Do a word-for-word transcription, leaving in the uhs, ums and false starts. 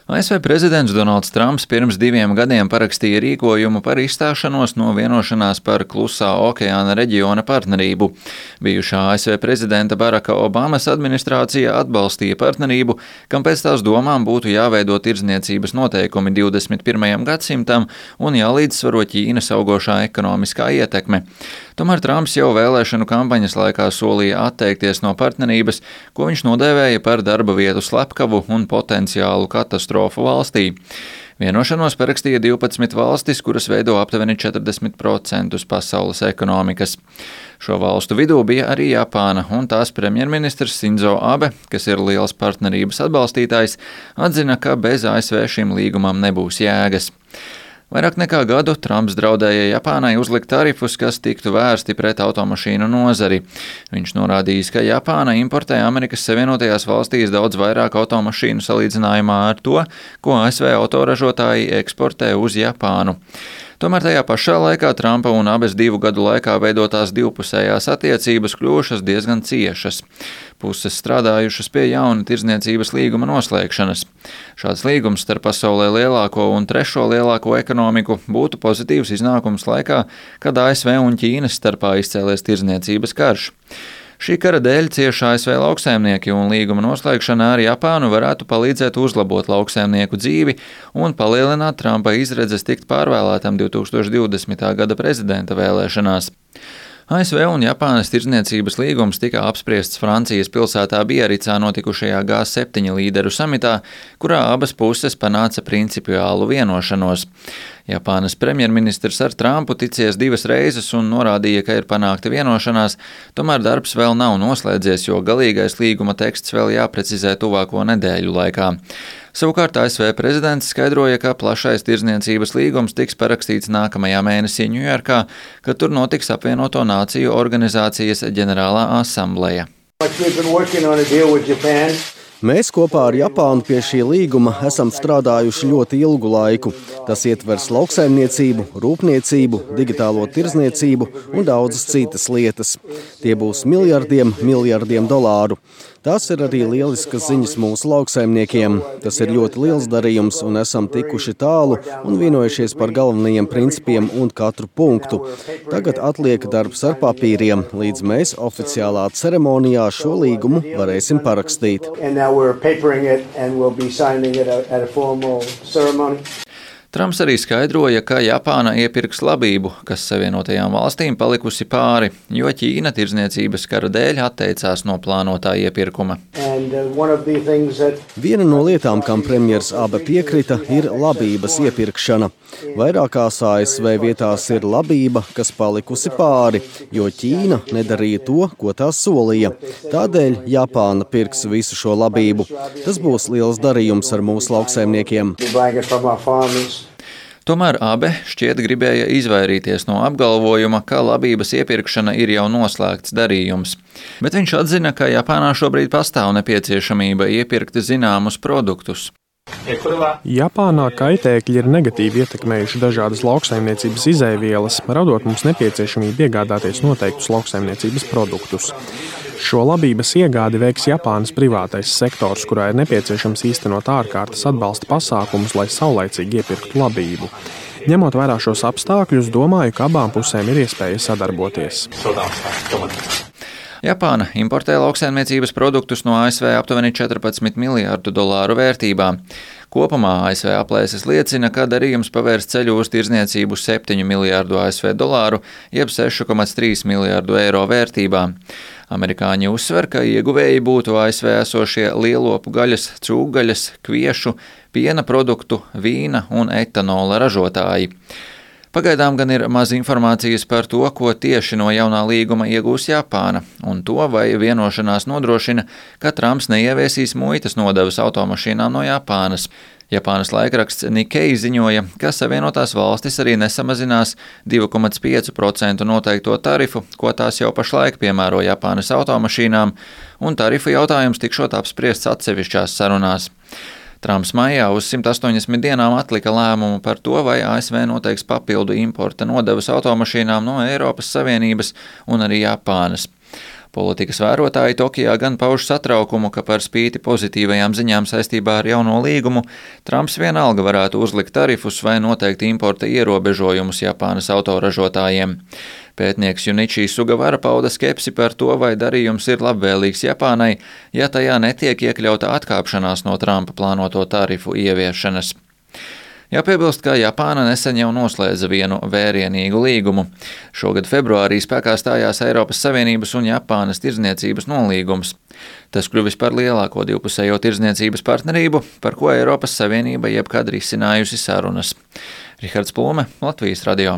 A S V prezidents Donalds Trumps pirms diviem gadiem parakstīja rīkojumu par izstāšanos no vienošanās par Klusā okeāna reģiona partnerību. Bijušā A S V prezidenta Baraka Obamas administrācija atbalstīja partnerību, kam pēc tās domām būtu jāveido tirdzniecības noteikumi divdesmit pirmajam gadsimtam un jālīdzsvaro Ķīnas augošā ekonomiskā ietekme. Tomēr Trumps jau vēlēšanu kampaņas laikā solīja atteikties no partnerības, ko viņš nodēvēja par darba vietu slepkavu un potenciālu katastrofu valstī. Vienošanos parakstīja divpadsmit valstis, kuras veido aptuveni četrdesmit procentus pasaules ekonomikas. Šo valstu vidū bija arī Japāna, un tās premjerministrs Sinzo Abe, kas ir liels partnerības atbalstītājs, atzina, ka bez A S V šim līgumam nebūs jēgas. Vairāk nekā gadu Trumps draudēja Japānai uzlikt tarifus, kas tiktu vērsti pret automašīnu nozari. Viņš norādījis, ka Japāna importē Amerikas Savienotajās valstīs daudz vairāk automašīnu salīdzinājumā ar to, ko A S V autoražotāji eksportē uz Japānu. Tomēr tajā pašā laikā Trumpa un Abes divu gadu laikā veidotās divpusējās attiecības kļuvušas diezgan ciešas. Puses strādājušas pie jauna tirdzniecības līguma noslēgšanas. Šāds līgums starp pasaulē lielāko un trešo lielāko ekonomiku būtu pozitīvs iznākums laikā, kad A S V un Ķīnas starpā izcēlies tirdzniecības karš. Šī kara dēļ cieši A S V lauksaimnieki un līguma noslēgšana ar Japānu varētu palīdzēt uzlabot lauksaimnieku dzīvi un palielināt Trumpa izredzes tikt pārvēlētam divtūkstoš divdesmitā gada prezidenta vēlēšanās. A S V un Japānas tirdzniecības līgums tika apspriests Francijas pilsētā Biaricā notikušajā G septiņi līderu samitā, kurā abas puses panāca principiālu vienošanos. Japānas premjerministrs ar Trumpu ticies divas reizes un norādīja, ka ir panākta vienošanās, tomēr darbs vēl nav noslēdzies, jo galīgais līguma teksts vēl jāprecizē tuvāko nedēļu laikā. Savukārt A S V prezidents skaidroja, ka plašais tirdzniecības līgums tiks parakstīts nākamajā mēnesī Ņujorkā, kad tur notiks apvienoto nāciju organizācijas ģenerālā asambleja. Mēs kopā ar Japānu pie šī līguma esam strādājuši ļoti ilgu laiku. Tas ietvers lauksaimniecību, rūpniecību, digitālo tirdzniecību un daudzas citas lietas. Tie būs miljardiem, miljardiem dolāru. Tās ir arī lieliskas ziņas mūsu lauksaimniekiem. Tas ir ļoti liels darījums un esam tikuši tālu un vienojušies par galvenajiem principiem un katru punktu. Tagad atliek darbs ar papīriem, līdz mēs oficiālā ceremonijā šo līgumu varēsim parakstīt. Trumps arī skaidroja, ka Japāna iepirks labību, kas Savienotajām valstīm palikusi pāri, jo Ķīna tirdzniecības kara dēļ atteicās no plānotā iepirkuma. Viena no lietām, kam premjers Abe piekrita, ir labības iepirkšana. Vairākās A S V vietās ir labība, kas palikusi pāri, jo Ķīna nedarīja to, ko tā solīja. Tādēļ Japāna pirks visu šo labību. Tas būs liels darījums ar mūsu lauksaimniekiem. Tomēr Abe šķiet gribēja izvairīties no apgalvojuma, ka labības iepirkšana ir jau noslēgts darījums. Bet viņš atzina, ka Japānā šobrīd pastāv nepieciešamība iepirkt zināmus produktus. Japānā kaitēkļi ir negatīvi ietekmējuši dažādas lauksaimniecības izēvielas, radot mums nepieciešamību iegādāties noteiktus lauksaimniecības produktus. Šo labības iegādi veiks Japānas privātais sektors, kurā ir nepieciešams īstenot ārkārtas atbalsta pasākumus, lai saulaicīgi iepirktu labību. Ņemot vērā šos apstākļus, domāju, ka abām pusēm ir iespēja sadarboties. Japāna importē lauksaimniecības produktus no A S V aptuveni četrpadsmit miljārdu dolāru vērtībā. Kopumā A S V aplēses liecina, ka darījums pavērs ceļu uz tirdzniecību septiņu miljārdu A S V dolāru, jeb seši komats trīs miljārdu eiro vērtībā. Amerikāņi uzsver, ka ieguvēji būtu A S V esošie lielopu gaļas, cūgaļas, kviešu, piena produktu, vīna un etanola ražotāji. Pagaidām gan ir maz informācijas par to, ko tieši no jaunā līguma iegūs Japāna, un to, vai vienošanās nodrošina, ka Trumps neieviesīs muitas nodevas automašīnām no Japānas. Japānas laikraksts Nikkei ziņoja, ka Savienotās valstis arī nesamazinās divi komats pieci procenti noteikto tarifu, ko tās jau pašlaik piemēro Japānas automašīnām, un tarifu jautājums tikšot apspriests atsevišķās sarunās. Trumps maijā uz simt astoņdesmit dienām atlika lēmumu par to, vai A S V noteiks papildu importa nodevas automašīnām no Eiropas Savienības un arī Japānas. Politikas vērotāji Tokijā gan pauž satraukumu, ka par spīti pozitīvajām ziņām saistībā ar jauno līgumu, Trumps vienalga varētu uzlikt tarifus vai noteikt importa ierobežojumus Japānas autoražotājiem. Pētnieks Junichi Sugavara pauda skepsi par to, vai darījums ir labvēlīgs Japānai, ja tajā netiek iekļauta atkāpšanās no Trumpa plānoto tarifu ieviešanas. Jāpiebilst, ka Japāna nesen jau noslēdza vienu vērienīgu līgumu. Šogad februārī spēkā stājās Eiropas Savienības un Japānas tirdzniecības nolīgums. Tas kļuvis par lielāko divpusējo tirdzniecības partnerību, par ko Eiropas Savienība jebkad risinājusi sarunas. Rihards Plūme, Latvijas radio.